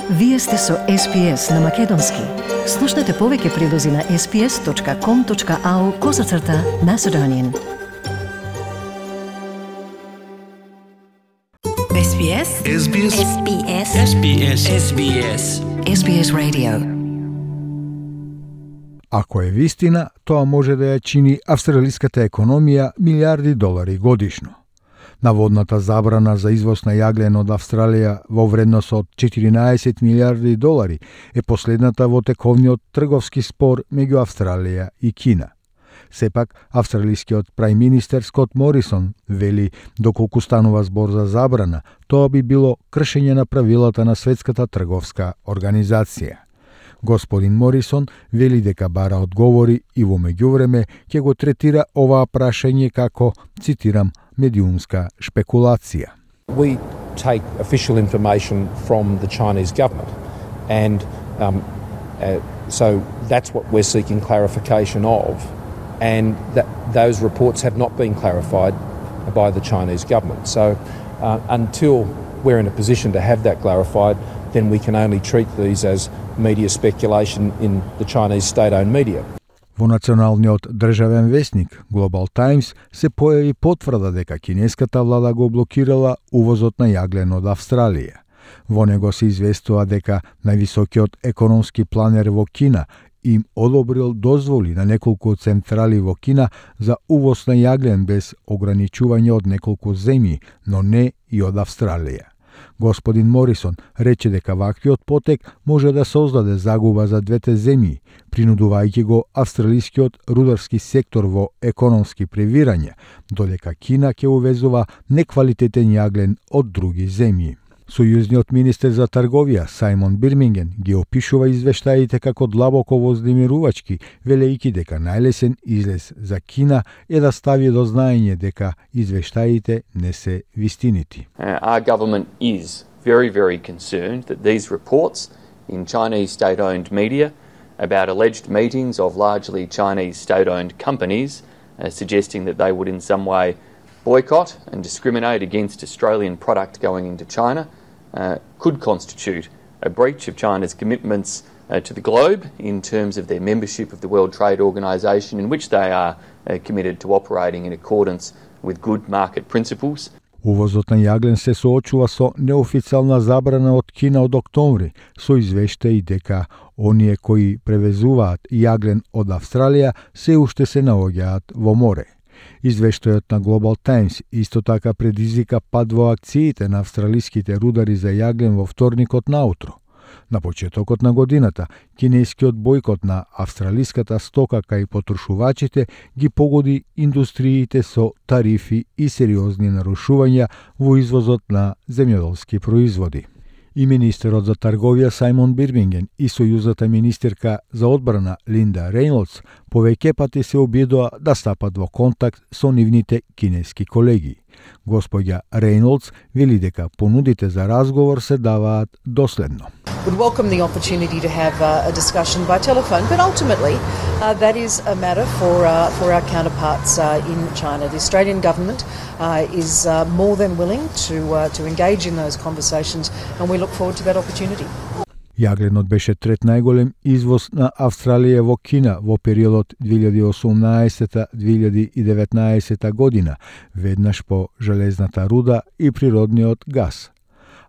Вие сте со SPS на Македонски. Слушнете повеќе прилози на sps.com.au/Macedonian. SBS SBS SBS SBS SBS SBS Radio. Ако е вистина, тоа може да ја чини австралиската економија милиарди долари годишно. Наводната забрана за извоз на јаглен од Австралија во вредност од 14 милиарди долари е последната во тековниот трговски спор меѓу Австралија и Кина. Сепак, австралискиот прајм-министер Скот Морисон вели доколку станува збор за забрана, тоа би било кршење на правилата на Светската трговска организација. Господин Морисон вели дека бара одговори и во меѓувреме ќе го третира оваа прашање како, цитирам, медиумска шпекулација. We take official information from the Chinese government, and so that's what we're seeking clarification of, and those reports have not been clarified by the Chinese government. So until we're in a position to have that clarified, then we can only treat these as media speculation in the Chinese state-owned media. Во националниот државен весник Global Times се појави потврда дека кинеската влада го блокирала увозот на јаглен од Австралија. Во него се известува дека највисокиот економски планер во Кина им одобрил дозволи на неколку централи во Кина за увоз на јаглен без ограничување од неколку земји, но не и од Австралија. Господин Морисон рече дека ваквиот потек може да создаде загуба за двете земји, принудувајќи го австралискиот рударски сектор во економски превирање, додека Кина ќе увезува неквалитетен јаглен од други земји. Сојузниот министер за трговија Сајмон Бирминген ги опишува извештаите како длабоко вознемирувачки, велејќи дека најлесен излез за Кина е да стави до знаење дека извештаите не се вистинити. Our government is very, very concerned that these reports in Chinese state-owned media about alleged meetings of largely Chinese state-owned companies suggesting that they would in some way boycott and discriminate against Australian product going into China could constitute a breach of China's commitments to the globe in terms of their membership of the World Trade Organization, in which they are committed to operating in accordance with good market principles. Увозот на јаглен се соочува со неофицијална забрана од Кина од октомври, со извештаи дека оние кои превезуваат јаглен од Австралија се уште се наоѓаат во море. Извештајот на Global Times исто така предизвика пад во акциите на австралиските рудари за јаглен во вторникот наутро. На почетокот на годината, кинескиот бојкот на австралиската стока кај потрошувачите ги погоди индустриите со тарифи и сериозни нарушувања во извозот на земјоделски производи. И министерот за трговија Сајмон Бирминген и сојузната министерка за одбрана Линда Рейнолдс повеќе пати се обидоа да стапат во контакт со нивните кинески колеги. Господја Рейнолдс вели дека понудите за разговор се даваат доследно. Would welcome the opportunity to have a discussion by telephone, but ultimately that is a matter for our counterparts in China. The Australian government is more than willing to engage in those conversations, and we look forward to that opportunity. Јагленот беше трет најголем извоз на Австралија во Кина во периодот 2018-2019 година, веднаш по железната руда и природниот газ.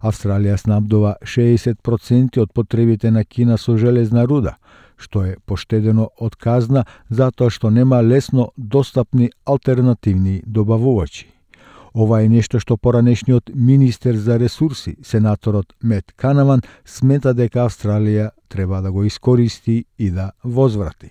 Австралија снабдува 60% од потребите на Кина со железна руда, што е поштедено од казна затоа што нема лесно достапни алтернативни добавувачи. Ова е нешто што поранешниот министер за ресурси, сенаторот Мет Канаван, смета дека Австралија треба да го искористи и да возврати.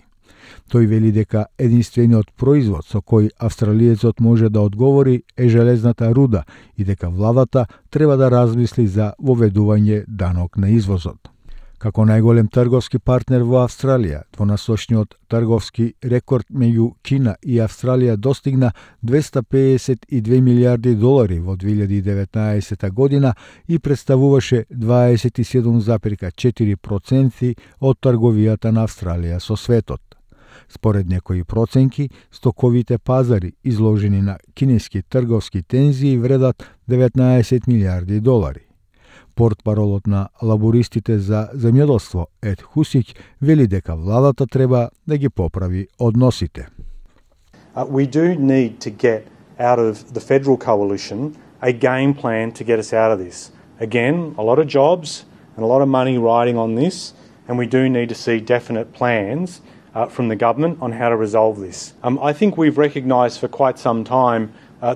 Тој вели дека единствениот производ со кој австралиецот може да одговори е железната руда и дека владата треба да размисли за воведување данок на извозот. Како најголем трговски партнер во Австралија, двонасочниот трговски рекорд меѓу Кина и Австралија достигна 252 милиарди долари во 2019 година и представуваше 27,4% од трговијата на Австралија со светот. Според некои проценки, стоковите пазари изложени на кинески трговски тензии вредат 19 милиарди долари. Портпаролот на лабористите за земјоделство Ед Хусиќ вели дека владата треба да ги поправи односите. We do need to get out of the federal coalition a game plan to get us out of this. Again, a lot of jobs and a lot of money riding on this, and we do need to see definite plans from the government on how to resolve this. I think we've recognised for quite some time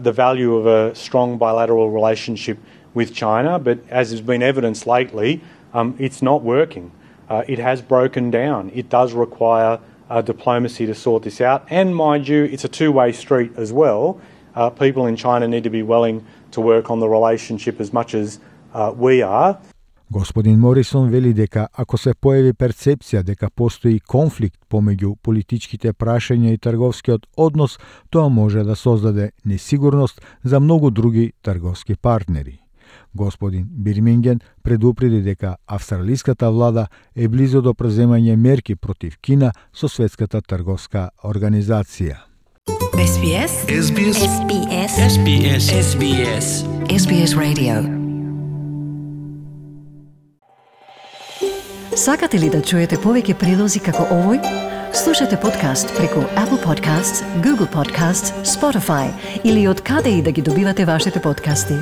the value of a strong bilateral relationship with China, but as has been evidenced lately, it's not working. It has broken down. It does require diplomacy to sort this out, and mind you, it's a two-way street as well. People in China need to be willing to work on the relationship as much as we are. Господин Морисон вели дека ако се појави перцепција дека постои конфликт помеѓу политичките прашања и трговскиот однос, тоа може да создаде несигурност за многу други трговски партнери. Господин Бирминген предупреди дека австралиската влада е близо до преземање мерки против Кина со Светската трговска организација. SBS SBS SBS SBS SBS SBS Radio. Сакате ли да чуете повеќе прилози како овој? Слушате подкаст преку Apple Podcasts, Google Podcasts, Spotify или од каде и да ги добивате вашите подкасти.